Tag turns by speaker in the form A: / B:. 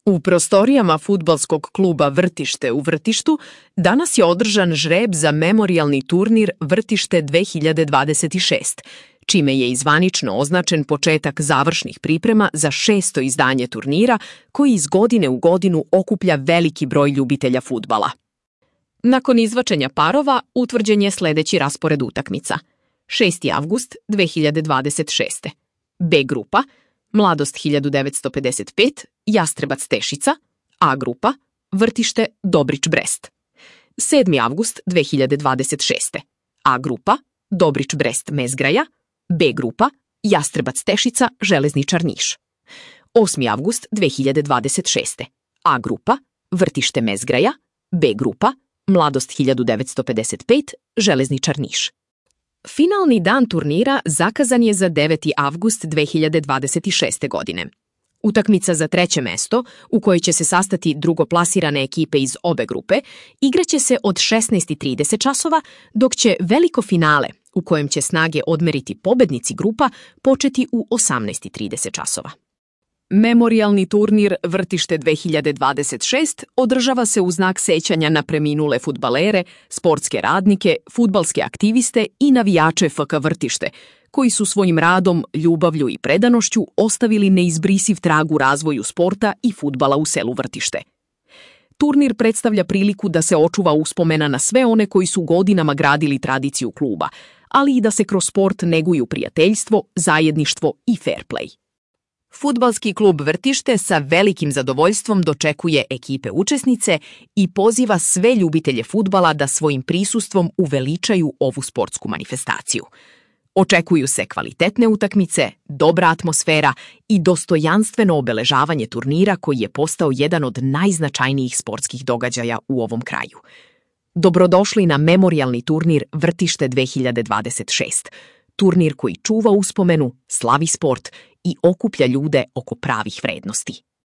A: U prostorijama fudbalskog kluba Vrtište u Vrtištu danas je održan žreb za memorijalni turnir Vrtište 2026, čime je i zvanično označen početak završnih priprema za 6. izdanje turnira koji iz godine u godinu okuplja veliki broj ljubitelja fudbala. Nakon izvačenja parova utvrđen je sledeći raspored utakmica. 6. avgust 2026. B grupa Mladost 1955, Jastrebac Tešica, A grupa, Vrtište Dobrić Brest. 7. avgust 2026. A grupa, Dobrić Brest Mezgraja, B grupa, Jastrebac Tešica Železničar Niš. 8. avgust 2026. A grupa, Vrtište Mezgraja, B grupa, Mladost 1955, Železničar Niš. Finalni dan turnira zakazan je za 9. avgust 2026. godine. Utakmica za treće mesto, u kojoj će se sastati drugoplasirane ekipe iz obe grupe, igraće se od 16:30 časova, dok će veliko finale, u kojem će snage odmeriti pobednici grupa, početi u 18:30 časova. Memorijalni turnir Vrtište 2026 održava se u znak sećanja na preminule fudbalere, sportske radnike, fudbalske aktiviste i navijače FK Vrtište, koji su svojim radom, ljubavlju i predanošću ostavili neizbrisiv trag u razvoju sporta i fudbala u selu Vrtište. Turnir predstavlja priliku da se očuva uspomena na sve one koji su godinama gradili tradiciju kluba, ali i da se kroz sport neguju prijateljstvo, zajedništvo i fair play. Fudbalski klub Vrtište sa velikim zadovoljstvom dočekuje ekipe učesnice i poziva sve ljubitelje fudbala da svojim prisustvom uveličaju ovu sportsku manifestaciju. Očekuju se kvalitetne utakmice, dobra atmosfera i dostojanstveno obeležavanje turnira koji je postao jedan od najznačajnijih sportskih događaja u ovom kraju. Dobrodošli na memorijalni turnir Vrtište 2026, turnir koji čuva uspomenu, slavi sport i okuplja ljude oko pravih vrednosti.